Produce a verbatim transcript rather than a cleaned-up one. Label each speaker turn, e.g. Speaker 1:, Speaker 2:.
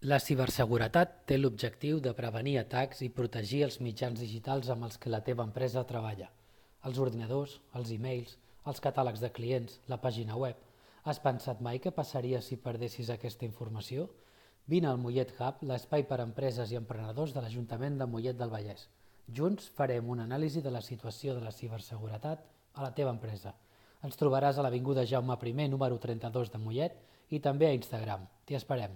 Speaker 1: La ciberseguretat té l'objectiu de prevenir atacs i protegir els mitjans digitals amb els que la teva empresa treballa. Els ordinadors, els e-mails, els catàlegs de clients, la pàgina web. Has pensat mai què passaria si perdessis aquesta informació? Vine al Mollet Hub, l'espai per a empreses i emprenedors de l'Ajuntament de Mollet del Vallès. Junts farem una anàlisi de la situació de la ciberseguretat a la teva empresa. Ens trobaràs a l'avinguda Jaume primer, número trenta-dos de Mollet i també a Instagram. T'hi esperem.